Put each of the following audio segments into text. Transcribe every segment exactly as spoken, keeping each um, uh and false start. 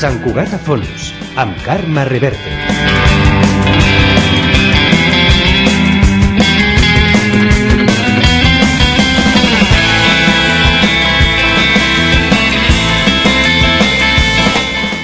Sant Cugat a Fons, amb Carme Reverte.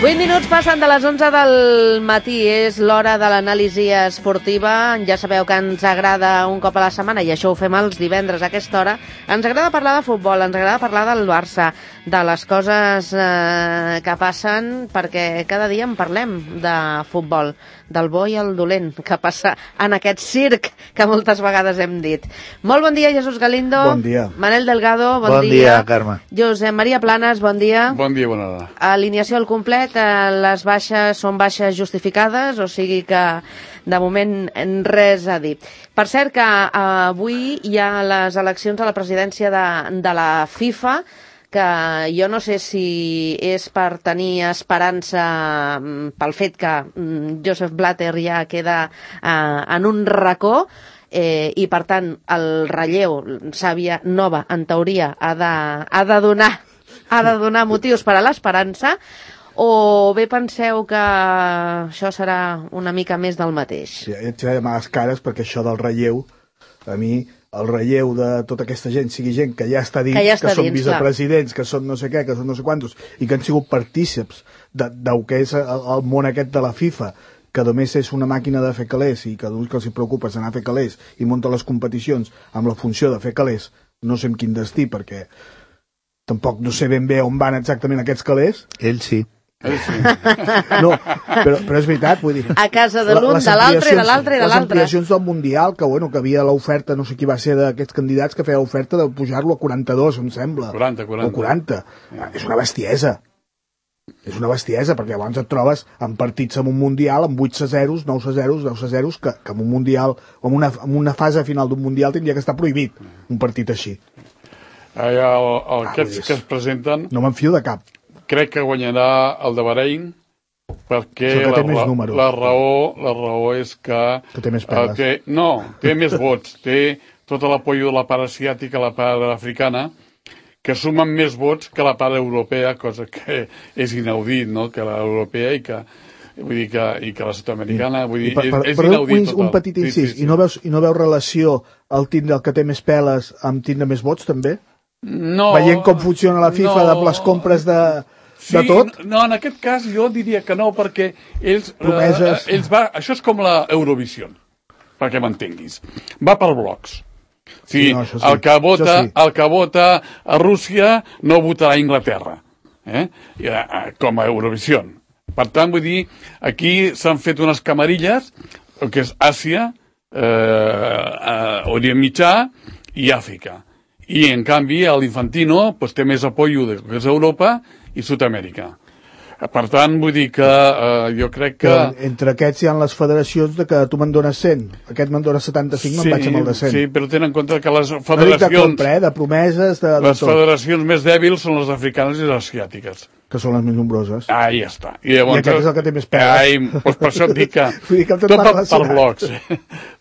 vuit minuts passen de les onze del matí, és l'hora de l'anàlisi esportiva. Ja sabeu que ens agrada un cop a la setmana, i això ho fem els divendres a aquesta hora, ens agrada parlar de futbol, ens agrada parlar del Barça, de les coses eh, que passen, perquè cada dia en parlem de futbol, del bo i el dolent que passa en aquest circ que moltes vegades hem dit. Molt bon dia, Jesús Galindo. Bon dia. Manel Delgado, bon, bon dia. Bon dia, Carme. Josep Maria Planes, bon dia. Bon dia, bona hora. Alineació al complet, les baixes són baixes justificades, o sigui que de moment res a dir. Per cert que avui hi ha les eleccions a la presidència de, de la FIFA, que jo no sé si és per tenir esperança pel fet que Joseph Blatter ja queda eh, en un racó, eh, i per tant el relleu, Xàbia Nova, en teoria ha de, ha de donar ha de donar motius per a l'esperança, o bé penseu que això serà una mica més del mateix? Sí, ja et faré males cares, perquè això del relleu, a mi, el relleu de tota aquesta gent sigui gent que ja està dins, que, ja està que són dins, vicepresidents, clar, que són no sé què, que són no sé quantos, i que han sigut partícips de, del que és el, el món aquest de la FIFA, que només és una màquina de fer calés i que el que els preocupa és anar a fer calés i munta les competicions amb la funció de fer calés, no sé amb quin destí, perquè tampoc no sé ben bé on van exactament aquests calés. Ell sí. No, però, però és veritat, vull dir, a casa de l'un, de l'altre, de l'altre i de l'altre. Les ampliacions del Mundial, que bueno, que havia l'oferta, no sé qui va ser d'aquests candidats que feia l'oferta de pujar-lo a quaranta-dos, em sembla. quaranta, quaranta. O quaranta. Yeah. És una bestiesa. És una bestiesa, perquè llavors et trobes en partits amb un Mundial, amb vuit a zero, nou a zero, deu a zero, que, que en un Mundial, en una, en una fase final d'un Mundial tindria que estar prohibit, un partit així. Ah, ja, el, el, ah, aquests que es presenten... No me'n fio de cap. Crec que guanyarà el de Bahrein, perquè la, la, la, raó, la raó és que... Que té més peles. Uh, té, no, té més vots. Té tot l'apoyo de la part asiàtica, la part africana, que sumen més vots que la part europea, cosa que és inaudit, no?, que l'europea i que... Vull dir que, i que la sud-americana, vull dir, per, per, és, és inaudit total. Un petit incís, sí, sí, sí. I, no veus, i no veus relació al tindre el que té més peles amb tindre més vots, també? No. Veient com funciona la FIFA, no, de les compres de... Sí, de tot? No, en aquest cas jo diria que no, perquè ells... Promeses... Eh, ells va, això és com la Eurovision, perquè m'entenguis. Va per blocs. Sí, sí, no, sí. El, que vota, sí. el que vota a Rússia no votarà a Inglaterra, eh? Com a Eurovision. Per tant, vull dir, aquí s'han fet unes camarilles, que és Àsia, eh, Orient Mitjà i Àfrica. I, en canvi, l'Infantino pues, té més apoyo de que és Europa i Sud-amèrica. Per tant, vull dir que eh, jo crec que... Però entre aquests hi ha les federacions de que tu me'n dones cent, aquest me'n dona setanta-cinc, sí, me'n vaig amb el de cent. Sí, però tenen en compte que les federacions... No dic de compra, eh, de promeses, de, de les tot. Federacions més dèbils són les africanes i les asiàtiques. Que són les més nombroses. Ah, ja està. I, llavors, I aquest és el que té més peles. Ai, doncs per això et dic que... dir que tot va per blocs.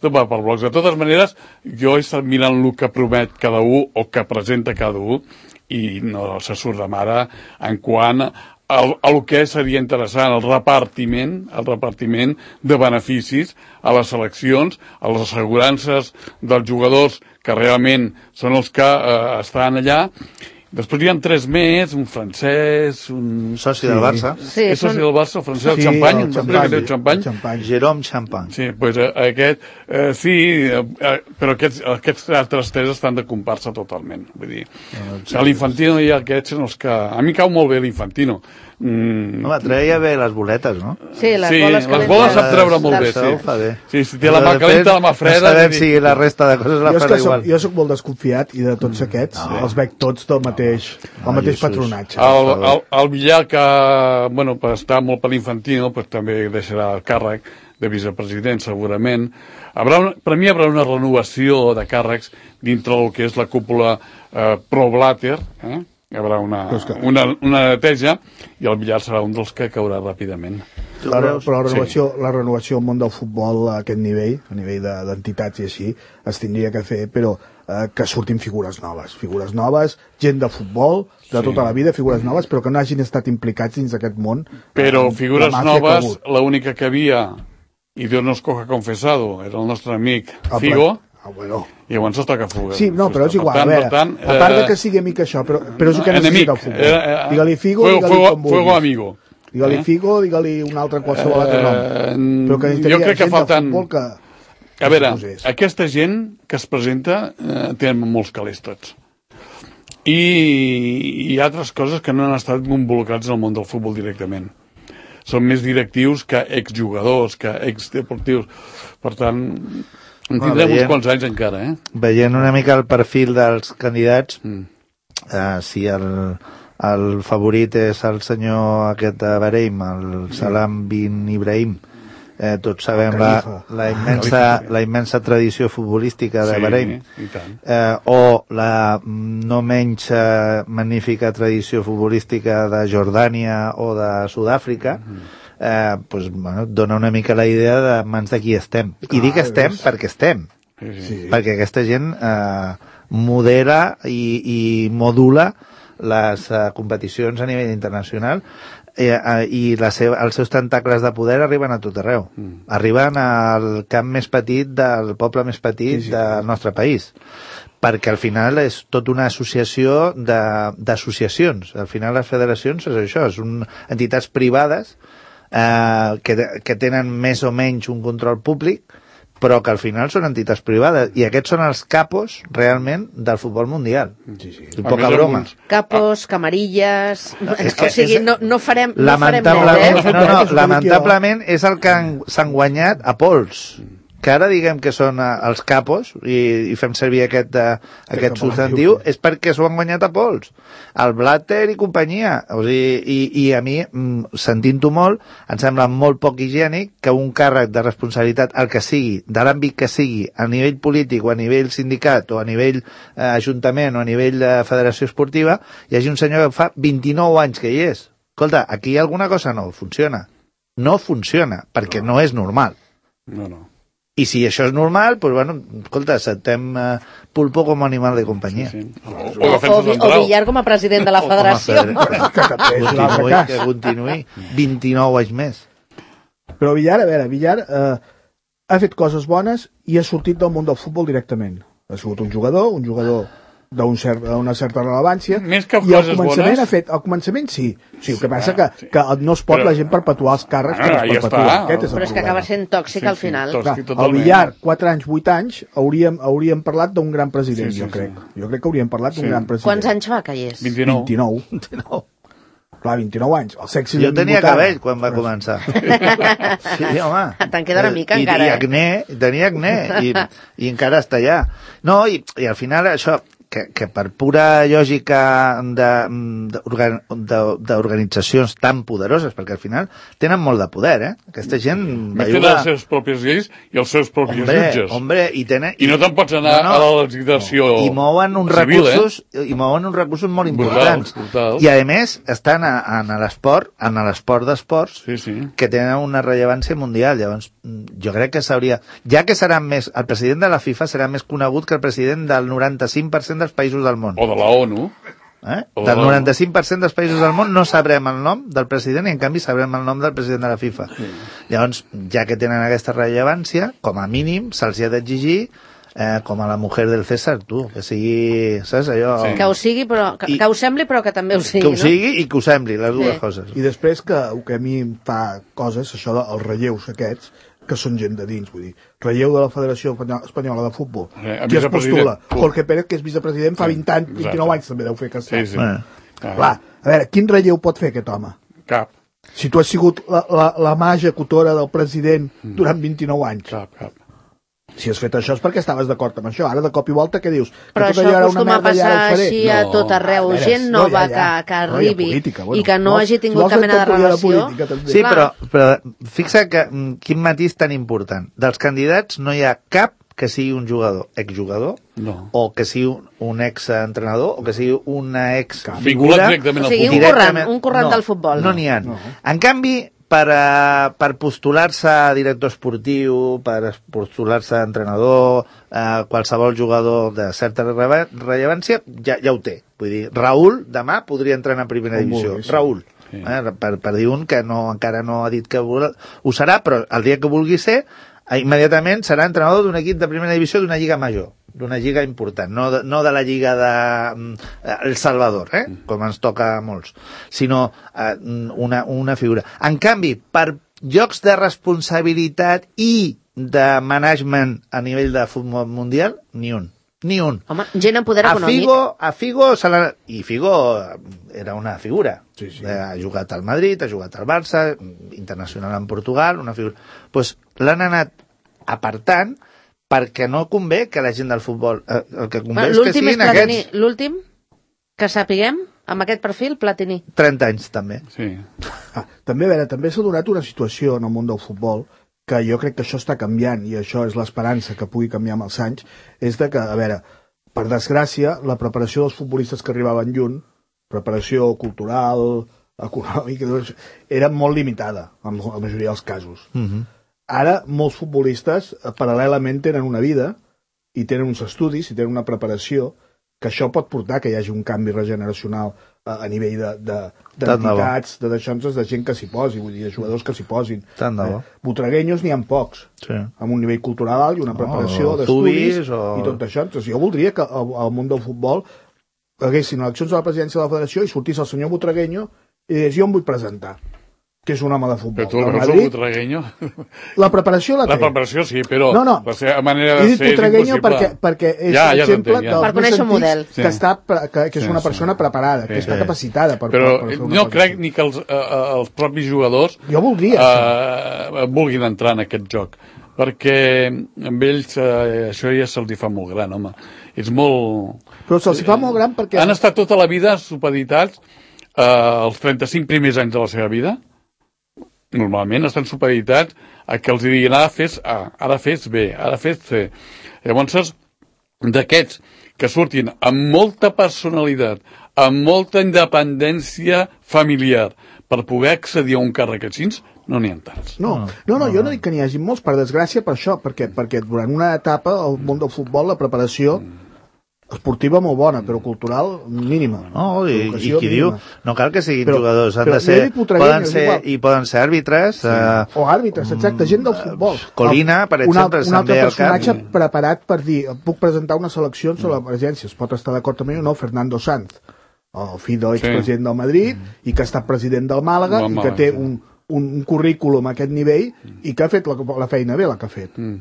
Tot va per blocs. De totes maneres, jo he estat mirant el que promet cada un o que presenta cada un i no se surt de mare en quant al, al que seria interessant, el repartiment, el repartiment de beneficis a les seleccions, a les assegurances dels jugadors que realment són els que eh, estan allà. Després hi ha tres més, un francès, un... Soci sí. del Barça. Sí, és soci del Barça, el francès, sí, el Champagne, el Champagne, el Champagne. Champagne. Jérôme Champagne. Sí, doncs eh, aquest, eh, sí, eh, però aquests, aquests altres tres estan de comparsa totalment. Vull dir, no, no, sí, l'Infantino i aquests són els que... A mi cau molt bé l'Infantino. Mm. No, treia bé les boletes, no? Sí, les sí, boles les boles sap treure molt bé, sí. Fa bé. Sí, si té la mà calenta, la mà freda... No sabem si la resta de coses la farà igual. Jo soc molt desconfiat i de tots aquests no. els veig tots del mateix, no, el mateix patronatge. El, el, el Villar, que bueno, està molt per l'Infantino, pues, també deixarà el càrrec de vicepresident, segurament. Haurà una, per mi hi haurà una renovació de càrrecs dintre del que és la cúpula eh, pro-Blatter, eh? Hi haurà una, una, una neteja i el Villar serà un dels que caurà ràpidament. La, però la renovació, sí. la renovació al món del futbol a aquest nivell, a nivell d'entitats i així, es tindria que fer, però eh, que surtin figures noves. Figures noves, gent de futbol, de sí. tota la vida, figures noves, però que no hagin estat implicats dins d'aquest món. Però eh, figures noves, l'única que havia, i Dios nos coja confesado, era el nostre amic Figo. Ah, bueno. I llavors està que fuga. Sí, no, però és igual. Tant, a veure, tant, a part de que sigui amic això, però, però és el que necessita el futbol. Eh, eh, digue-li Figo, fuego, digue-li com vulguis. Fuego amigo. Digue-li eh? Figo, digue-li un altre qualsevol altre nom. Eh, però que jo crec que falten... Que... A veure, aquesta gent que es presenta eh, tenen molts calés tots. I hi ha altres coses que no han estat involucrats en el món del futbol directament. Són més directius que exjugadors, que exdeportius. Per tant... En tindrem bueno, veient, uns quants anys encara, eh? Veient una mica el perfil dels candidats, mm. eh, si el, el favorit és el senyor aquest de Bahrein, el Salam bin Ibrahim, eh, tots sabem la, la, immensa, la immensa tradició futbolística de sí, Bahrein, eh, o la no menys eh, magnífica tradició futbolística de Jordània o de Sud-àfrica, mm. Eh, pues, bueno, dona una mica la idea de mans de qui estem. I dic estem perquè estem. Sí, sí. Perquè aquesta gent eh, modera i, i modula les eh, competicions a nivell internacional eh, eh, i la seva, els seus tentacles de poder arriben a tot arreu. Mm. Arriben al camp més petit del poble més petit sí, sí. del nostre país. Perquè al final és tota una associació d'associacions. Al final les federacions és això, són entitats privades Uh, que, que tenen més o menys un control públic, però que al final són entitats privades, i aquests són els capos realment del futbol mundial. Sí, sí. Poca broma. Capos, camarilles... És que, o sigui, és, no, no farem, no farem lamentablement, net, eh? No, no, lamentablement és el que s'han guanyat a pols. Que ara diguem que són els capos i, i fem servir aquest, uh, aquest substantiu, és perquè s'ho han guanyat a pols. El Blatter i companyia. O sigui, i, i a mi, sentint-ho molt, em sembla molt poc higiènic que un càrrec de responsabilitat, el que sigui, de l'àmbit que sigui, a nivell polític o a nivell sindicat o a nivell eh, ajuntament o a nivell de federació esportiva, hi hagi un senyor que fa vint-i-nou anys que hi és. Escolta, aquí alguna cosa no funciona. No funciona, perquè no, no és normal. No, no. I si això és normal, doncs, bueno, escolta, acceptem uh, Pulpo com a animal de companyia. Sí, sí. O, o, o, o Villar com a president de la federació. Continuï, que continuï. vint-i-nou anys més. Però Villar, a veure, Villar eh, ha fet coses bones i ha sortit del món del futbol directament. Ha sigut un jugador, un jugador d'una cert, certa rellevància, més que i al començament bones... ha fet, al començament sí, sí, el que passa que, sí. que no es pot però... la gent perpetuar els càrrecs, ah, que es perpetua. Aquest és però és que acaba sent tòxic sí, al final. Sí, tòxic, Clar, el Villar, quatre anys, vuit anys, hauríem, hauríem parlat d'un gran president, sí, sí, jo crec. Sí. Jo crec que hauríem parlat d'un sí. gran president. Quants anys fa que hi és? vint-i-nou. vint-i-nou. vint-i-nou. Clar, vint-i-nou anys. El sexy jo tenia cabell quan va començar. Sí, home. Te'n queda una mica I, encara. I acné, tenia acné, i, i encara està allà. No, i, i al final això... Que, que per pura lògica d'organitzacions tan poderoses, perquè al final tenen molt de poder, eh? Aquesta gent... Més tenen les seves pròpies lleis i els seus propis hombre, jutges. Hombre, i, tenen, I no te'n pots anar no, no, a la legislació no. I mouen uns civil, recursos eh? i mouen uns recursos molt importants. Brutal, brutal. I a més estan a, a l'esport, en l'esport d'esports, sí, sí. que tenen una rellevància mundial. Llavors, jo crec que s'hauria... Ja que serà més... El president de la FIFA serà més conegut que el president del noranta-cinc per cent dels països del món. O de la ONU. Eh? Del noranta-cinc per cent dels països del món no sabrem el nom del president i en canvi sabrem el nom del president de la FIFA. Sí. Llavors, ja que tenen aquesta rellevància, com a mínim se'ls ha d'exigir eh, com a la mujer del César, tu, que sigui, saps, allò... Sí. Que ho sigui, però, que, I, que ho sembli, però que també ho sigui, que ho no? sigui i que ho sembli, les dues sí. coses. I després que, que a mi em fa coses, això dels relleus aquests, que són gent de dins, vull dir, relleu de la Federació Espanyola de Futbol. Eh, qui es postula? Jorge Pérez, que és vicepresident, fa vint anys, vint-i-nou anys també deu fer que sí, sí. Eh. Clar, a veure, quin relleu pot fer aquest home? Cap. Si tu has sigut la, la, la mà executora del president durant vint-i-nou anys. Cap, cap. Si has fet això és perquè estaves d'acord amb això. Ara, de cop i volta, què dius? Però que això acostuma a passar així a no. tot arreu. A veure, gent nova no, ja, ja. que, que arribi no, política, bueno, i que no, no hagi tingut cap mena de relació. De política, sí, però, però fixa que quin matís tan important. Dels candidats no hi ha cap que sigui un jugador, exjugador, no. o que sigui un, un exentrenador, o que sigui una exfigura. Directament o sigui, un corrent, un corrent no, del futbol. No n'hi ha. No. En canvi, per, uh, per postular-se a director esportiu, per postular-se a entrenador, uh, qualsevol jugador de certa rele rellevància, ja, ja ho té. Vull dir, Raül demà podria entrenar a primera divisió. Raül. Sí. Eh, per, per dir un que no, encara no ha dit que ho serà, però el dia que vulgui ser, immediatament serà entrenador d'un equip de primera divisió d'una lliga major, d'una lliga important, no de, no de la lliga de eh, El Salvador, eh? Com ens toca a molts, sinó eh, una, una figura. En canvi, per llocs de responsabilitat i de management a nivell de futbol mundial, ni un. Ni un. Home, gent amb poder econòmic. A Figo, a Figo se la... I Figo era una figura. Sí, sí. Ha jugat al Madrid, ha jugat al Barça, internacional en Portugal, una figura. Doncs pues, l'han anat apartant perquè no convé que la gent del futbol... Eh, el que convé és que siguin és aquests... L'últim, que sapiguem, amb aquest perfil, Platini. trenta anys, també. Sí. Ah, també, a veure, també s'ha donat una situació en el món del futbol que jo crec que això està canviant, i això és l'esperança que pugui canviar amb els anys, és de que, a veure, per desgràcia, la preparació dels futbolistes que arribaven lluny, preparació cultural, econòmica, era molt limitada, en la majoria dels casos. Uh-huh. Ara, molts futbolistes, paral·lelament, tenen una vida, i tenen uns estudis, i tenen una preparació, que això pot portar que hi hagi un canvi regeneracional a, a nivell d'entitats, de, de, de, de gent que s'hi posi, vull dir, de jugadors que s'hi posin. Tant de bo. Eh, Botreguenyos n'hi ha pocs, sí. Amb un nivell cultural alt i una preparació oh, d'estudis o... i tot això. Entonces, jo voldria que al, al món del futbol haguessin eleccions a la presidència de la federació i sortís el senyor Botreguenyo i digués, jo em vull presentar, que és un home de futbol. Però tu el Madrid, Botreguenyo... La preparació la té. La preparació sí, però no, no. la seva manera de ser és impossible. Perquè, perquè és ja, ja exemple ja. dels per conèixer un model. Que, està, que, que és sí, una persona sí. preparada, sí, que està sí. capacitada per... Però per, per no crec ni que els, uh, els propis jugadors jo voldria, uh, vulguin entrar en aquest joc, perquè amb ells uh, això ja se'ls fa molt gran, home. És molt... Però se'ls fa molt gran perquè... Han estat tota la vida supeditats uh, els trenta-cinc primers anys de la seva vida. Normalment estan supeditats a que els diguin ara fes A, ara fes B, ara fes C. Llavors, d'aquests que surtin amb molta personalitat, amb molta independència familiar, per poder accedir a un càrrec així, no n'hi ha tants. No, no, no, jo no dic que n'hi hagi molts, per desgràcia, per això, perquè, perquè durant una etapa al món del futbol la preparació esportiva molt bona, però cultural mínima. No, i, i qui mínima. Diu, no cal que siguin però, jugadors, han de ser, poden ser, i poden ser àrbitres. Sí. Uh, o àrbitres, exacte, gent del futbol. Colina, per exemple, un altre personatge preparat per dir, puc presentar una selecció sobre l'emergència, es pot estar d'acord amb mi o no, Fernando Sanz, el fill de l'expresident sí. del Madrid, mm. i que ha estat president del Màlaga, no, i que té un, un, un currículum a aquest nivell, mm. i que ha fet la, la feina bé, la que ha fet. Mm.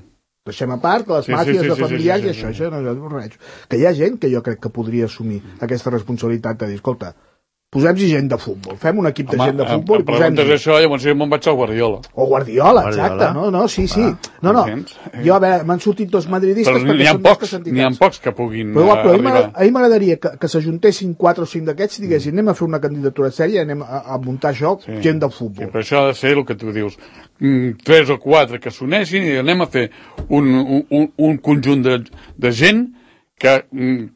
Deixem a part les sí, màfies sí, sí, de familiars sí, sí, sí, i això, sí, sí. això no, no, que hi ha gent que jo crec que podria assumir aquesta responsabilitat de dir, escolta, posem-hi gent de futbol, fem un equip de Home, gent de futbol i posem-hi... Home, això, llavors jo me'n vaig al Guardiola. O Guardiola, exacte, Guardiola. no, no, sí, sí. Ah, no, no, jo, a veure, m'han sortit dos madridistes però perquè són pocs, que n'hi ha pocs que puguin però, però arribar. A mi m'agradaria que, que s'ajuntessin quatre o cinc d'aquests i diguessin, anem a fer una candidatura sèria, anem a, a muntar això, sí. gent de futbol. Sí, però això ha de ser el que tu dius, tres o quatre que s'uneixin i anem a fer un, un, un conjunt de, de gent que,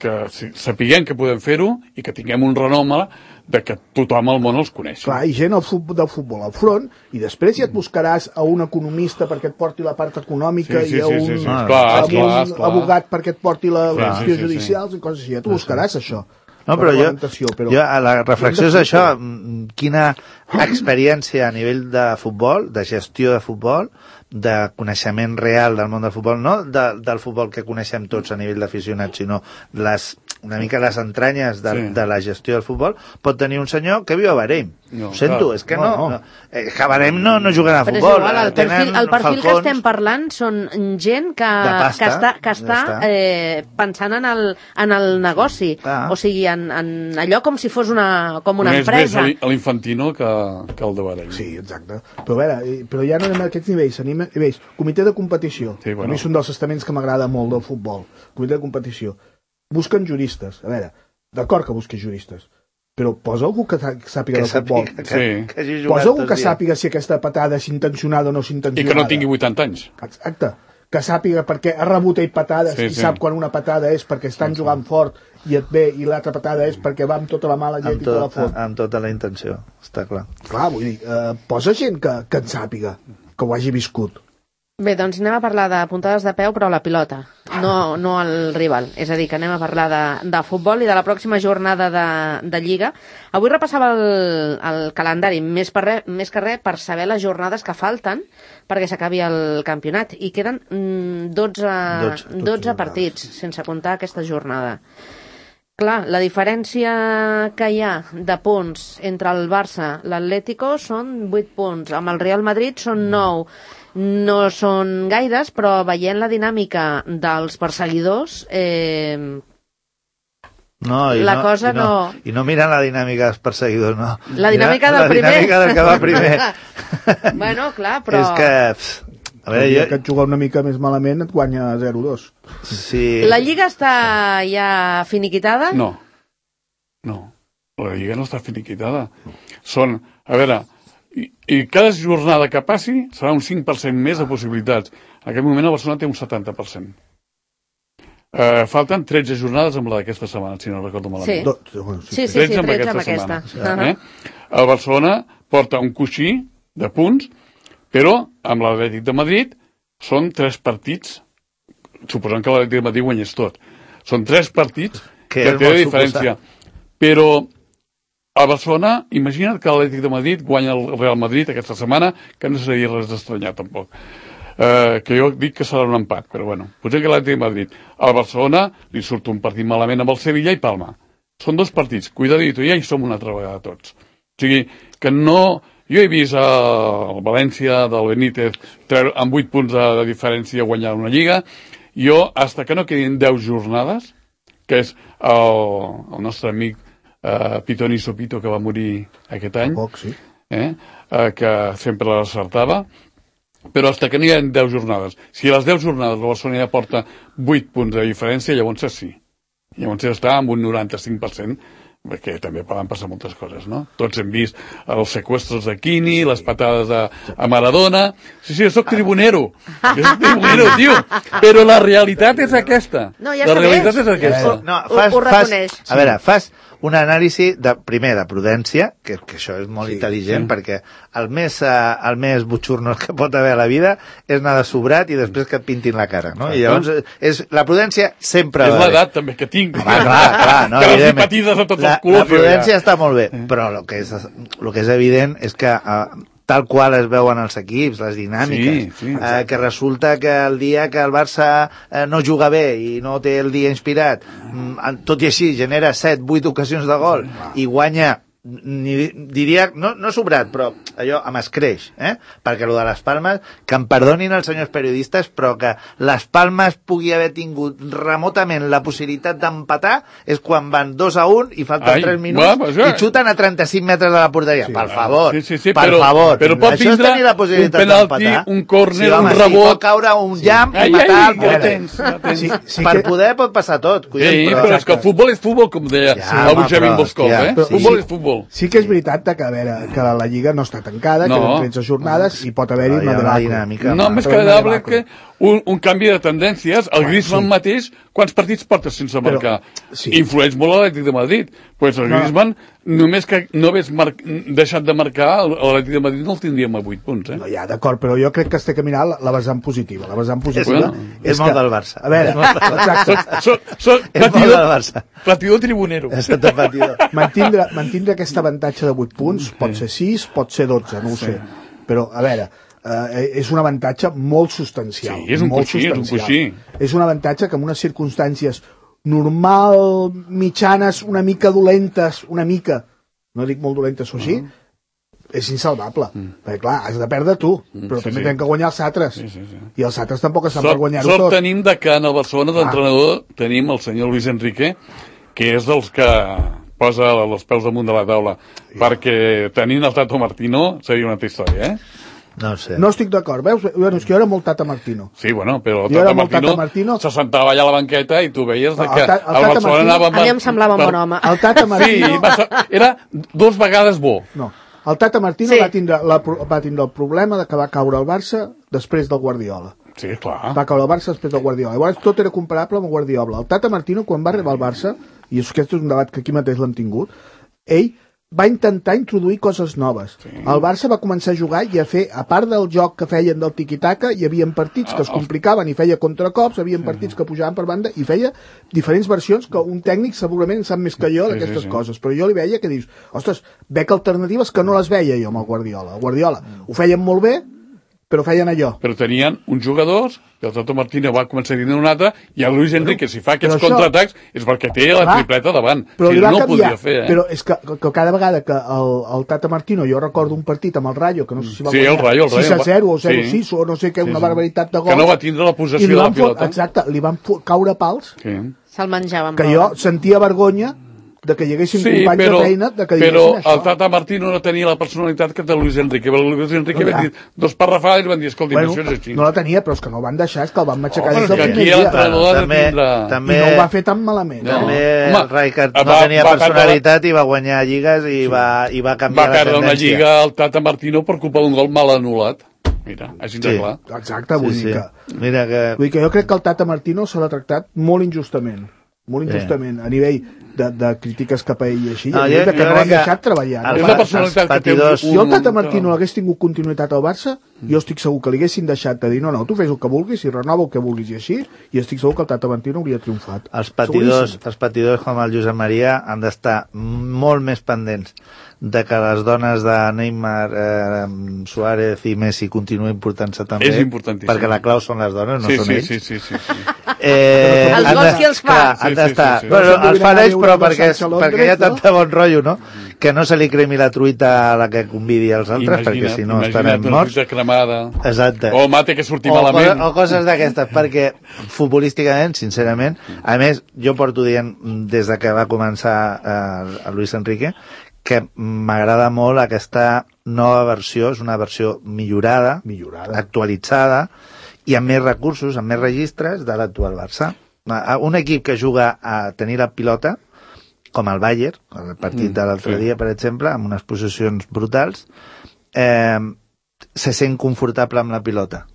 que sapiguem que podem fer-ho i que tinguem un renom de que tothom al món els coneix. Clar, i gent al futbol, del futbol al front, i després ja et buscaràs a un economista perquè et porti la part econòmica sí, sí, i a un, sí, sí, sí. Ah, clar, a clar, un clar. abogat perquè et porti la qüestió sí, sí, judicials sí. i coses així. Ja t'ho buscaràs, això. No, però jo, però jo, la reflexió és això, quina experiència a nivell de futbol, de gestió de futbol, de coneixement real del món del futbol, no de, del futbol que coneixem tots a nivell d'aficionats, sinó les, una mica les entranyes de, sí. de la gestió del futbol, pot tenir un senyor que viu a Bahrein. No, Ho sento, clar. és que no, no, no. Eh, que a Bahrein no, no juguen a futbol. Igual, el perfil, el perfil que estem parlant són gent que, pasta, que està, que està eh, pensant en el, en el negoci, ah. o sigui, en, en allò com si fos una, com una més empresa. Més l'Infantino que, que el de Bahrein. Sí, exacte. Però a veure, però ja no anem a aquests nivells, anem a nivells. Comitè de competició. Sí, bueno. A mi és un dels estaments que m'agrada molt del futbol. Comitè de competició. Busquen juristes. A veure, d'acord que busqui juristes, però posa algú que sàpiga de futbol. Que, sí. que, que posa algú que sàpiga si aquesta patada és intencionada o no és intencionada. I que no tingui vuitanta anys. Exacte. que sàpiga perquè ha rebut ell patades sí, i sí. sap quan una patada és perquè estan sí, jugant sí. fort i et ve, i l'altra patada és perquè va amb tota la mala llet i te la fot. Amb tota la intenció, està clar. Clar, vull dir, eh, posa gent que, que en sàpiga, que ho hagi viscut. Bé, doncs anem a parlar de puntades de peu, però a la pilota, no, no al rival. És a dir, que anem a parlar de, de futbol i de la pròxima jornada de, de Lliga. Avui repassava el, el calendari, més, per re, més que res per saber les jornades que falten perquè s'acabi el campionat. I queden mm, dotze, dotze, dotze partits, sense comptar aquesta jornada. Clar, la diferència que hi ha de punts entre el Barça i l'Atlético són vuit punts. Amb el Real Madrid són nou. No són gaires, però veient la dinàmica dels perseguidors, eh, no, i la no, cosa i no, no... I no miren la dinàmica dels perseguidors, no. La dinàmica Mira, del primer. La dinàmica del que va primer. Bueno, clar, però... És que... Pff, a veure, jo... que et juga una mica més malament et guanya zero dos. Sí. La Lliga està ja finiquitada? No. No. La Lliga no està finiquitada. Són... A veure... I, i cada jornada que passi serà un cinc per cent més de possibilitats. En aquest moment el Barcelona té un setanta per cent. Eh, falten tretze jornades amb la d'aquesta setmana, si no recordo malament. Sí, sí, sí, sí, tretze amb aquesta. Amb aquesta. Uh-huh. Eh? El Barcelona porta un coixí de punts, però amb l'Atlètic de Madrid són tres partits, suposant que l'Atlètic de Madrid guanyés tot. Són tres partits que, que té diferència. Però a Barcelona, imagina't que l'Atlètic de Madrid guanya el Real Madrid aquesta setmana, que no seria res d'estranyar tampoc. Eh, que jo dic que serà un empat, però bueno, potser que l'Atlètic de Madrid. Al Barcelona li surt un partit malament amb el Sevilla i Palma. Són dos partits, cuidadito, ja hi som una altra vegada tots. O sigui, que no... Jo he vist el València del Benítez amb vuit punts de, de diferència guanyar una lliga. Jo, hasta que no quedin deu jornades, que és el, el nostre amic Uh, Pitoni Sopito, que va morir aquest any, poc, sí. eh? uh, que sempre l'acertava, però hasta que n'hi ha deu jornades. Si a les deu jornades la Barcelona ja porta vuit punts de diferència, llavors sí. Llavors ja està amb un noranta-cinc per cent, perquè també poden passar moltes coses, no? Tots hem vist els seqüestres de Quini, les patades a, a Maradona... Sí, sí, jo soc tribunero. Jo soc tribunero, tio. Però la realitat és aquesta. No, ja la realitat és aquesta. No, fas, ho, ho reconeix. Fas, a veure, fas un anàlisi, de, primer, de prudència, que, que això és molt sí, intel·ligent, sí. perquè el més, uh, el més butxurnos que pot haver a la vida és anar de sobrat i després que et pintin la cara, no? I llavors, és, la prudència sempre... És l'edat, també, que tinc. Home, clar, clar, no, que les patides de tots la, els colors. La prudència ja està molt bé, però el que és, el que és evident és que... Uh, tal qual es veuen els equips, les dinàmiques, sí, sí, eh, que resulta que el dia que el Barça eh, no juga bé i no té el dia inspirat, mm, tot i així genera set, vuit ocasions de gol i guanya, ni, diria, no, no sobrat, però allò amb escreix, eh? Perquè el de les Palmes, que em perdonin els senyors periodistes, però que les Palmes pugui haver tingut remotament la possibilitat d'empatar és quan van dos a un i falten Ai, tres minuts va, ja. i xuten a trenta-cinc metres de la porteria. Sí, per favor, sí, sí, sí, per però, favor. Però pot això és tenir la possibilitat un penalti, un córner, sí, home, un rebot... Sí, pot caure un sí. llamp i ai, matar ai, el porter. Sí, sí per que... poder pot passar tot. Collons, sí, però, però és que el futbol és futbol, com deia ja, el Xavi Boscov, ja, eh? Sí. Futbol és futbol. Sí que és veritat que, a veure, que la Lliga no està tancada, no. queden tretze jornades i pot haver-hi una dinàmica. No, més que agradable que un, un canvi de tendències. El Griezmann sí. mateix, quants partits porta sense marcar? Però, sí. Influeix molt l'Atlètic de Madrid. Pues el no. Griezmann, només que no hagués mar... deixat de marcar, l'Atlètic de Madrid no el tindríem a vuit punts. Eh? No, ja, d'acord, però jo crec que es té que mirar la, la vessant positiva. La vessant positiva bueno, és, és molt que, del Barça. A veure, exacte. Soc, soc, soc patidor, patidor tribunero. Mantindre, mantindre aquest avantatge de vuit punts, pot ser sis, pot ser dotze, no ho sé. Però, a veure, eh, és un avantatge molt substancial. Sí, és un molt coixí, és un coixí. És un avantatge que en unes circumstàncies normal, mitjanes, una mica dolentes, una mica, no dic molt dolentes o així, uh-huh. és insalvable. Mm. Perquè, clar, has de perdre tu, mm, però sí, també sí. tenen que guanyar els altres. Sí, sí, sí. I els altres tampoc estan sort, per guanyar-ho tot. Sort tenim de que en el Barcelona d'entrenador ah. tenim el senyor Luis Enrique, que és dels que posa els peus damunt de la taula, sí. perquè tenint el Tato Martino seria una altra història, eh? No sé. No estic d'acord, veus? Bueno, és que jo era molt Tata Martino. Sí, bueno, però el Tata Martino, Tata Martino se sentava allà a la banqueta i tu veies no, que el, ta, el, el Barcelona anava... A mi em semblava un bon home. El Tata Martino... Sí, va, era dos vegades bo. No, el Tata Martino sí. va, tindre la, va tindre el problema de que va caure el Barça després del Guardiola. Sí, clar. Va caure el Barça després del Guardiola. Llavors tot era comparable amb el Guardiola. El Tata Martino, quan va arribar al Barça, i aquest és un debat que aquí mateix l'hem tingut, ell va intentar introduir coses noves. Sí. El Barça va començar a jugar i a fer, a part del joc que feien del tiqui-taca, hi havia partits que es complicaven i feia contracops, hi havia partits que pujaven per banda i feia diferents versions que un tècnic segurament sap més que jo d'aquestes sí, sí, sí. coses. Però jo li veia que dius, ostres, veig alternatives que no les veia jo amb el Guardiola. El Guardiola ho feien molt bé, però feien allò. Però tenien uns jugadors, que el Tata Martino va començar a dir una altra, i el Luis Enrique, si fa aquests contraatacs, és perquè té la clar, tripleta davant. Però si no ho podia fer, eh? Però és que, que cada vegada que el, el Tata Martino, jo recordo un partit amb el Rayo, que no sé si va sí, guanyar el Rayo, el Rayo, sis a zero o zero a sis sí. o no sé què, una sí, sí. barbaritat de gols. Que no va tindre la possessió de la pilota. Exacte, li van caure pals. Sí. Se'l menjaven. Que jo sentia vergonya de que hi haguessin sí, companys però, de feina de que però això. el Tata Martino no tenia la personalitat que té Luis Enrique. El Luis Enrique no, va dir dos parrafades i van dir, escolti, bueno, això és així. No la tenia, però és que no el van deixar, és que el van matxacar oh, des del primer dia. Bueno, també, també, I no ho va fer tan malament. No. També Home, el Rijkaard no va, tenia va personalitat i va guanyar lligues i, sí. va, i va canviar va la tendència. Va perdre una lliga al Tata Martino per culpa d'un gol mal anul·lat. Mira, així de sí. clar. Exacte, vull, sí, dir que, sí. Mira que... vull dir que jo crec que el Tata Martino se l'ha tractat molt injustament. Molt injustament, sí. a nivell de, de crítiques cap a ell i així, no, a nivell de que no l'han deixat treballar. És la personalitat que té un... Si el Tata Martino hagués tingut continuïtat al Barça, jo estic segur que li haguessin deixat de dir no, no, tu fes el que vulguis i renova el que vulguis i així, i estic segur que el Tata Martino hauria triomfat. Els patidors, els patidors com el Josep Maria han d'estar molt més pendents de que les dones de Neymar, eh, Suárez i Messi continuïn portant-se també. És importantíssim. Perquè la clau són les dones, no sí, són sí, ells. Sí, sí, sí. sí. Eh, els gols qui els fa? Clar, han d'estar. Sí, sí, sí, sí. Bueno, els fan ells, però perquè, perquè hi ha tanta bon rotllo, no? Que no se li cremi la truita a la que convidi als altres, imagina, perquè si no estarem morts. Imagina't una truita cremada. Exacte. O mate que surti o malament. Co o coses d'aquestes, perquè futbolísticament, sincerament, a més, jo porto dient des de que va començar eh, el Luis Enrique, que m'agrada molt aquesta nova versió, és una versió millorada, millorada, actualitzada, i amb més recursos, amb més registres de l'actual Barça. Un equip que juga a tenir la pilota, com el Bayern, el partit mm, de l'altre sí. dia, per exemple, amb unes possessions brutals, eh, se sent confortable amb la pilota.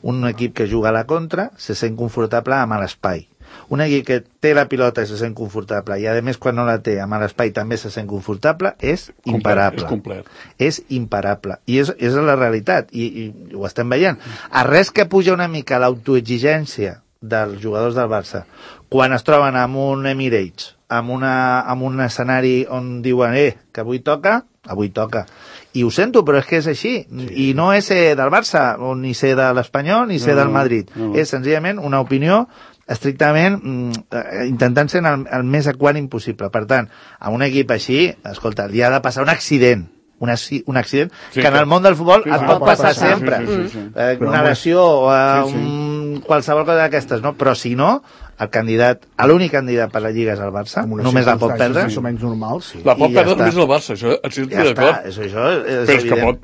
Un equip que juga a la contra se sent confortable amb l'espai. Un equip que té la pilota i se sent confortable i a més quan no la té amb l'espai també se sent confortable és imparable. Complet, és, és imparable i és, és la realitat i, i ho estem veient. A res que puja una mica l'autoexigència dels jugadors del Barça quan es troben amb un Emirates amb, una, amb un escenari on diuen eh, que avui toca, avui toca i ho sento, però és que és així sí. I no és ser del Barça, ni ser de l'Espanyol ni ser no, del Madrid, no. És senzillament una opinió estrictament mm, intentant ser el, el més equànim possible. Per tant, a un equip així, escolta, li ha de passar un accident, un, un accident sí, que en el món del futbol sí, es pot passar, passar sempre. Sí, sí, sí, sí. Eh, una lesió o eh, sí, sí. Un, qualsevol cosa d'aquestes, no? Però si no, el candidat, l'únic candidat per la Lliga és el Barça, només la pot perdre. Més o menys normal, sí. La pot perdre ja només el Barça, això estic ja d'acord. Això, això és però és que pot...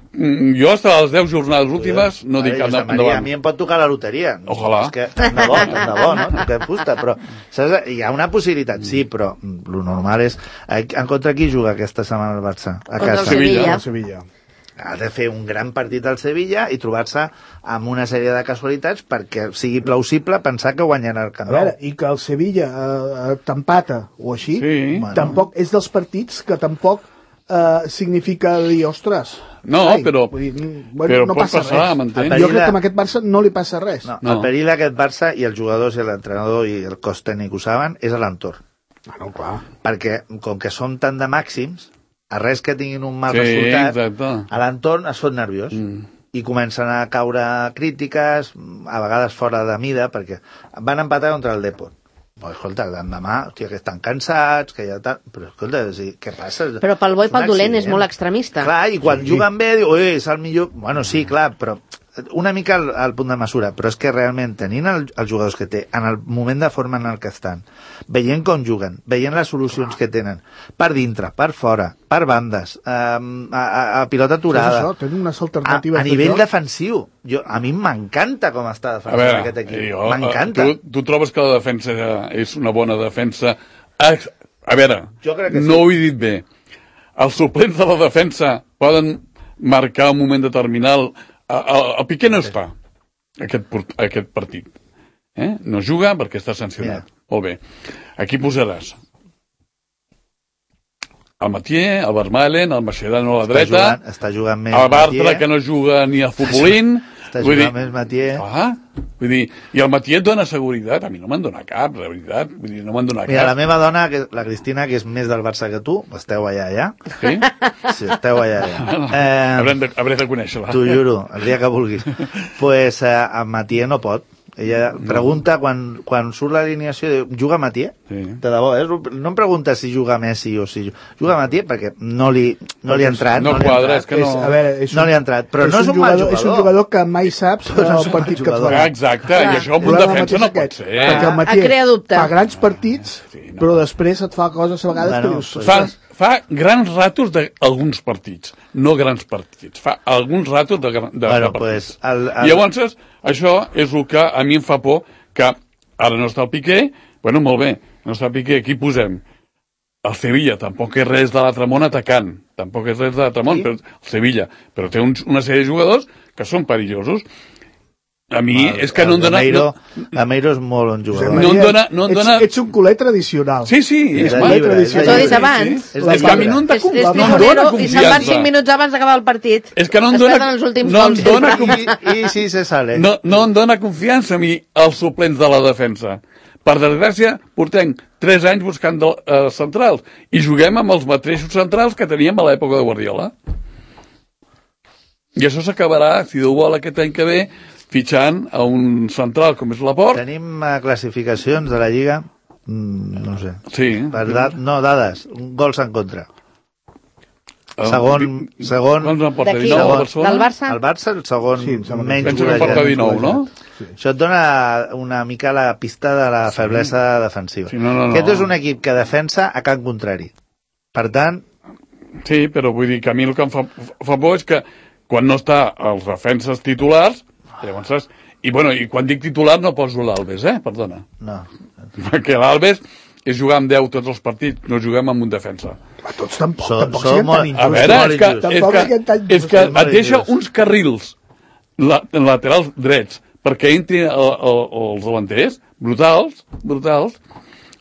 Jo hasta les deu jornades últimes no dic cap endavant. A mi em pot tocar la loteria. Ojalà. És que, tant de bo, tant de bo, no? Que fusta, però saps? Hi ha una possibilitat, sí, però el normal és... En contra qui juga aquesta setmana el Barça? A casa. Sevilla. Sevilla. Ha de fer un gran partit al Sevilla i trobar-se amb una sèrie de casualitats perquè sigui plausible pensar que guanyarà el Camp Nou. A veure, i que el Sevilla eh, t'empata o així, sí. Tampoc és dels partits que tampoc eh, significa dir, ostres... No, ai, però, dir, bueno, però no pot passa passar, m'entens? Jo crec que amb aquest Barça no li passa res. No, no. El perill d'aquest Barça, i els jugadors i l'entrenador i el cos tècnic ho saben, és a l'entorn. Ah, no, clar. Perquè, com que són tan de màxims, a res que tinguin un mal sí, resultat, exacte. A l'entorn es fot nerviós mm. i comencen a caure crítiques, a vegades fora de mida, perquè van empatar contra el Depor. Però, escolta, l'endemà, hòstia, que estan cansats, que ja tal... Però, escolta, sí, què passa? Però pel bo i pel dolent és molt extremista. Clar, i quan sí. juguen bé, diu, ui, és el millor... Bueno, sí, clar, però una mica al, al punt de mesura, però és que realment tenint el, els jugadors que té, en el moment de forma en el que estan, veient com juguen, veient les solucions que tenen, per dintre, per fora, per bandes, eh, a, a, a pilota aturada, això, unes alternatives a, a nivell de defensiu, jo, a mi m'encanta com està defensant aquest equip, m'encanta. Tu, tu trobes que la defensa és una bona defensa? A, a veure, sí. No ho he dit bé, els suplents de la defensa poden marcar un moment determinat. El, el Piqué no està. aquest, aquest partit. Eh? No juga perquè està sancionat. Yeah. Molt bé. Aquí posaràs el Mathieu, el Vermaelen, el Mascherano a la dreta, està jugant, està jugant més el Bartra, que no juga ni a futbolín. Està jugant més Mathieu. Ah, vull dir, i el Mathieu et dona seguretat. A mi no me'n dona cap, la veritat. Vull dir, no me'n dona Mira, cap. la meva dona, la Cristina, que és més del Barça que tu, esteu allà, ja? Sí? Sí, esteu allà, ja. Eh, haurem, de, haurem de conèixer-la. T'ho juro, el dia que vulguis. Doncs pues, eh, el Mathieu no pot. Ella pregunta, quan, quan surt l'alineació, diu, juga Mathieu? Sí. De debò, eh? No em pregunta si juga Messi o si juga Mathieu, perquè no li, no li ha entrat. No, no quadra, és que no... És, a veure, és un, no li ha entrat, però és no és un, un mal jugador. És un jugador que mai saps no el partit que et farà. Exacte, i això amb un defensa no pot ser. Perquè el Mathieu fa grans partits, però després et fa coses a vegades que dius... Fa, fa grans ratos d'alguns partits, no grans partits. Fa alguns ratos de, de, bueno, de partits. Pues, el, el... I llavors, això és el que a mi em fa por, que ara no està el Piqué, bueno, molt bé, no està el Piqué, aquí posem el Sevilla, tampoc és res de l'altre món atacant, tampoc és res de l'altre món, sí? Però el Sevilla, però té un, una sèrie de jugadors que són perillosos. A mi el, és que no em dona... Gameiro, no, Gameiro és molt un jugador. No em dona... No em dona... Ets, ets un culer tradicional. Sí, sí, és culer tradicional. T'ho he dit abans. Sí, sí. És que a mi no em dona confiança. I se'n van cinc minuts abans d'acabar el partit. És que no em dona... No em dona confiança. I, I sí, se sale. No, no em dona confiança a mi els suplents de la defensa. Per desgràcia, portem tres anys buscant de, uh, centrals i juguem amb els mateixos centrals que teníem a l'època de Guardiola. I això s'acabarà, si Déu vol, aquest any que ve, fitxant a un central com és Laporte. Tenim uh, classificacions de la Lliga, mm, no sé. Sí. Per da no, dades, gols en contra. Segon, segon, d'aquí, del Barça? El Barça, el segon, sí, menys penso que porta dinou, no? Sí. Això et dona una mica la pista de la feblesa sí. defensiva. Sí, no, no, no. Aquest és un equip que defensa a camp contrari. Per tant... Sí, però vull dir que a mi el que em fa, fa por és que quan no està els defenses titulars, llavors, i, bueno, i quan dic titular no poso l'Alves, eh? Perdona. No. Perquè l'Alves és jugar amb deu tots els partits, no juguem amb un defensa. A tots tampoc, so, tampoc so, siguem tan injustos. A veure, és que, és que, és que et deixa uns carrils la, laterals drets perquè entrin el, el, els davanters, brutals, brutals.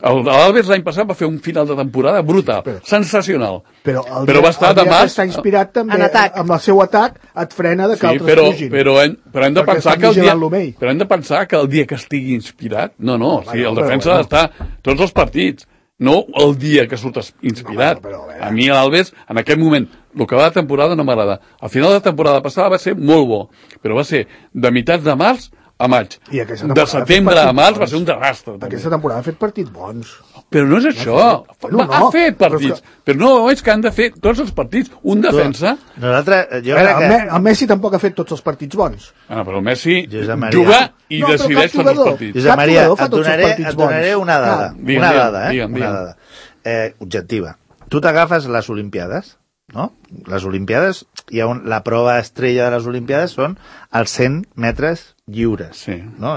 L'Alves l'any passat va fer un final de temporada brutal, però, sensacional. Però, el però va estar el demà... està inspirat també amb el seu atac, et frena de que sí, altres però, fugin. Però hem, però hem de pensar que el dia, però hem de pensar que el dia que estigui inspirat, no, no, no sí, el defensa ha d'estar tots els partits, no el dia que surt inspirat. No, però, però, a mi l'Alves, en aquest moment, el que va de temporada no m'agrada. Al final de la temporada passada va ser molt bo, però va ser de meitats de març a maig. De setembre a març va ser un desastre. També. Aquesta temporada ha fet partits bons. Però no és això. No, no, ha fet partits. Però, que... però no, és que han de fer tots els partits. Un defensa... Nosaltres, jo veure, crec que... El Messi tampoc ha fet tots els partits bons. Ah, però el Messi juga i no, decideix tots els partits. Josep Maria, et donaré, et donaré una dada. Ah, digue'm, una dada, eh? Digue'm, digue'm. Una dada. Eh, objectiva. Tu t'agafes les Olimpiades, no? Les Olimpiades, hi ha un, la prova estrella de les Olimpiades són els cent metres lliures, sí. no?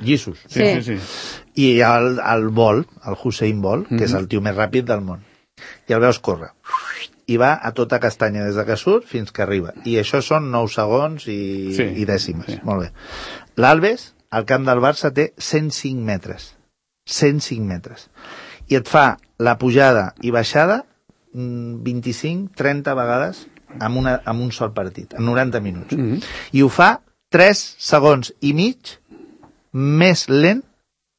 Llissos. Sí, sí, sí. I hi ha el, el vol, el Usain Bolt, que mm -hmm. és el tio més ràpid del món. I el veus córrer. I va a tota castanya des de que surt fins que arriba. I això són nou segons i, sí, i dècimes. Sí. Molt bé. L'Alves, al camp del Barça, té cent cinc metres. cent cinc metres. I et fa la pujada i baixada vint-i-cinc trenta vegades amb, una, amb un sol partit, en noranta minuts. Mm -hmm. I ho fa tres segons i mig més lent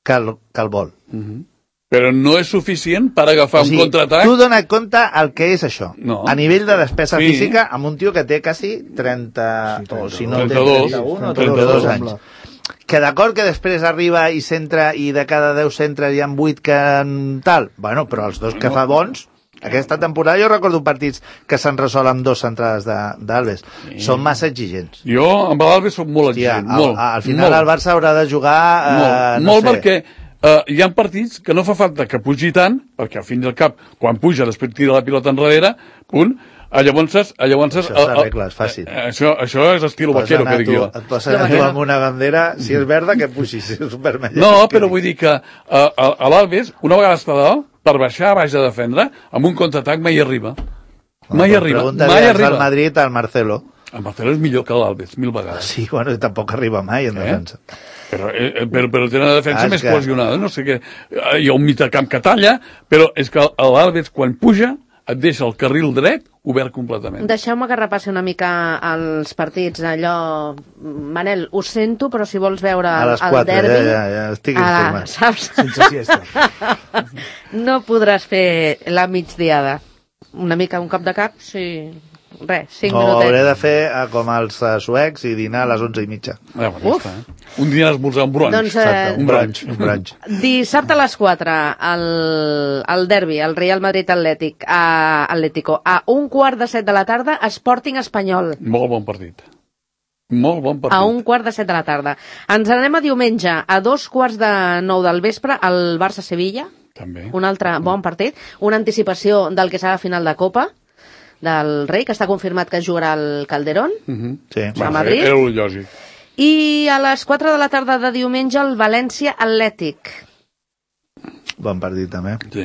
que el, que el vol. Mm -hmm. Però no és suficient per agafar o sigui, un contraatac? Tu dona compte el que és això. No. A nivell de despesa sí. física, amb un tio que té quasi trenta, sí, o si no trenta-dos, té trenta-un o trenta-dos anys. Que d'acord que després arriba i centra i de cada deu centres hi ha vuit que tal, bueno, però els dos que fa bons, aquesta temporada jo recordo partits que s'han resolt amb dos centrades d'Alves. Sí. Són massa exigents. Jo amb l'Alves soc molt exigent. Hòstia, molt, al, al final molt. El Barça haurà de jugar... Molt, eh, no molt sé. perquè uh, hi ha partits que no fa falta que pugi tant, perquè al fin i al cap, quan puja, després tira la pilota enrere, punt, llavors... llavors això s'arregla, és fàcil. Això, això és estil vaquero, que dic jo. Et posen a tu amb una bandera, si és verda, que puixi, si és vermella. No, però vull dir que uh, a, a l'Alves, una vegada està dalt, per baixar, baix de defendre, amb un contraatac mai arriba. Mai no, arriba, mai arriba. Al Madrid, al Marcelo. El Marcelo és millor que l'Alves, mil vegades. Sí, bueno, tampoc arriba mai en defensa. Eh? Però, eh, però, però té una defensa ah, més que... cohesionada. No sé què. Hi ha un mitjacamp que talla, però és que l'Alves, quan puja, et deixa el carril dret obert completament. Deixeu-me que repassi una mica els partits. Allò, Manel, ho sento, però si vols veure a les el derbi... Ja, ja, ja estic informat. Saps? Sense siesta. No podràs fer la migdiada. Una mica un cop de cap, sí... Res, cinc no, minutets. Hauré de fer uh, com els uh, suecs i dinar a les onze i mitja. Ah, bueno, està, eh? Un dia esmorzar un brunch. Doncs, eh, Exacte, un brunch. Un brunch. Dissabte a les quatre, el, el derbi, el Real Madrid Atlètic, a Atlético. A un quart de set de la tarda, Sporting Espanyol. Molt bon partit. Molt bon partit. A un quart de set de la tarda. Ens anem a diumenge, a dos quarts de nou del vespre, el Barça-Sevilla. També. Un altre bon partit. Una anticipació del que serà la final de Copa del Rei, que està confirmat que jugarà al Calderón, uh-huh. sí. a Madrid. Era el lògic. I a les quatre de la tarda de diumenge el València Atlètic. Bon partit, també. Sí.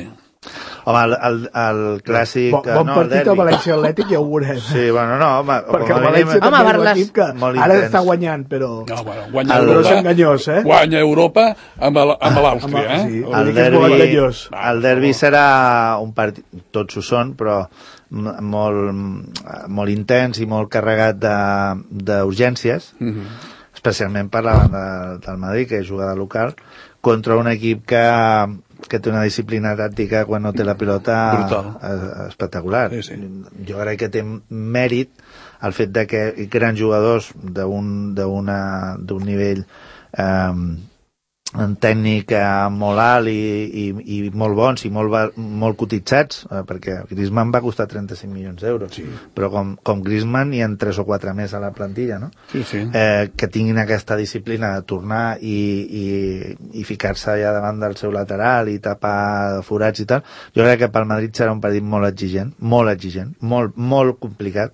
Home, el, el, el clàssic... Bon, bon no, partit al València Atlètic ja ho veurem. Sí, bueno, no, home... Perquè el València home, també és les... l'equip que ara està guanyant, però... No, bueno, guanya el... Europa, és enganyós, eh? Guanya Europa amb l'Àustria, eh? Sí, el derbi, el derbi serà un partit... Tots ho són, però molt, molt intens i molt carregat d'urgències, mm-hmm. especialment per la banda del Madrid, que juga de local, contra un equip que, que té una disciplina tàctica quan no té la pilota Brutal. espectacular. Sí, sí. Jo crec que té mèrit el fet de que grans jugadors d'un d'un nivell eh, en tècnic molt alt i, i, i molt bons i molt, molt cotitzats, eh, perquè Griezmann va costar trenta-cinc milions d'euros, sí. però com, com Griezmann hi ha tres o quatre més a la plantilla, no? Sí, sí. Eh, que tinguin aquesta disciplina de tornar i, i, i ficar-se allà davant del seu lateral i tapar forats i tal. Jo crec que pel Madrid serà un partit molt exigent, molt exigent, molt, molt complicat,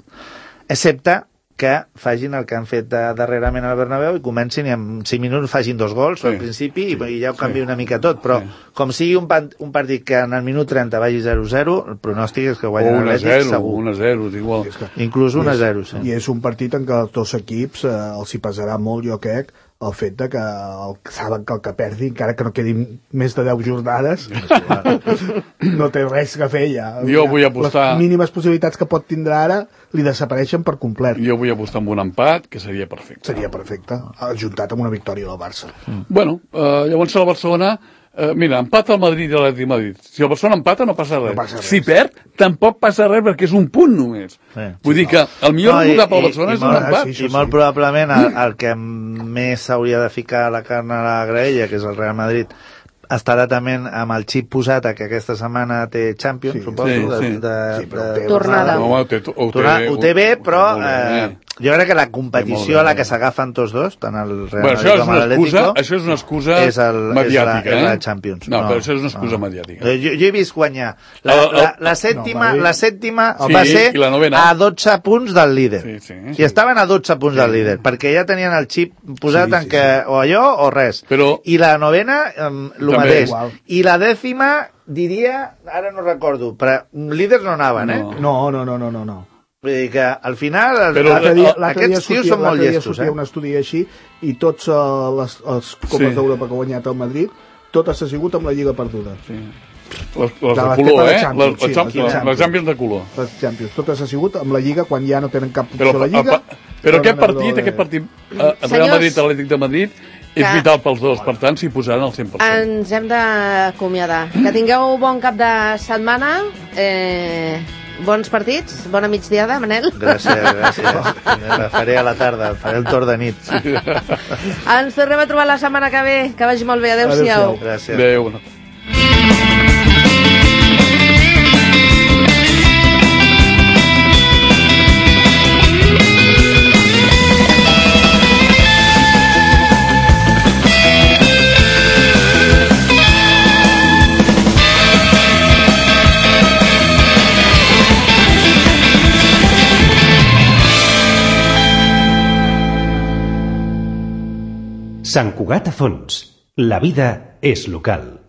excepte que facin el que han fet de, darrerament al Bernabéu i comencin i en cinc minuts facin dos gols sí, al principi sí, i ja ho canvia sí. una mica tot, però sí. com sigui un, un partit que en el minut trenta vagi zero zero, el pronòstic és que guanyen l'Atlètic segur. un a zero, igual. Inclús un a zero, sí. I és un partit en què els dos equips eh, els hi pesarà molt, jo crec, el fet de que el, saben que el que perdi, encara que no quedin més de deu jornades, no té res que fer ja. Jo vull apostar... Les mínimes possibilitats que pot tindre ara li desapareixen per complet. Jo vull apostar amb un empat, que seria perfecte. Seria perfecte, ajuntat amb una victòria del Barça. Mm. Bueno, eh, llavors el Barcelona... Eh, mira, empata el Madrid i l'Atlètic Madrid. Si el Barcelona empata no passa res. No passa res. Si perd, tampoc passa res perquè és un punt només. Sí. Vull sí, dir que el millor no, resultat pel Barcelona i, és i un empat. Sí, I molt sí. probablement el, el que més s'hauria de ficar la carn a la graella, que és el Real Madrid, estarà també amb el xip posat que aquesta setmana té Champions, sí, suposo, sí, de, sí. de, sí, de, de tornada. No, ho té, ho té, ho té bé, però eh, jo crec que la competició a la que s'agafen tots dos, tant el Real bueno, Madrid com l'Atlético, això és una excusa és el, mediàtica, és la, eh? és la Champions. No, no, però això és una excusa no. mediàtica. Jo, jo he vist guanyar. La, el, el, la, la sèptima, no, la sèptima sí, va ser a dotze punts del líder. Sí, sí, sí. I estaven a dotze punts sí. del líder, perquè ja tenien el xip posat sí, en sí, que sí. o allò o res. Però, I la novena, um, el mateix. Igual. I la dècima, diria, ara no recordo, però líders no anaven, eh? No, no, no, no, no. no. Vull dir que al final però dia, aquests tios són molt llestos, eh? Un estudi així i tots uh, les, els copes sí. d'Europa que ha guanyat el Madrid, totes ha sigut amb la Lliga perduda. Sí. Les, les de, de color, eh? Les, les, sí, les, les Champions de color. Les Champions, totes ha sigut amb la Lliga quan ja no tenen cap opció a la Lliga. Però, però aquest partit, de... aquest partit, eh, Real Madrid, Atlètic de Madrid, és que... vital pels dos, per tant, s'hi posaran al cent per cent. Ens hem d'acomiadar. Que tingueu bon cap de setmana, eh, bons partits, bona migdiada, Manel. Gràcies, gràcies. La faré a la tarda, faré el torn de nit. Sí. Ens tornem a trobar la setmana que ve. Que vagi molt bé. Adéu-siau. Adéu Gràcies. Adéu. Sant Cugat a Fons. La vida és local.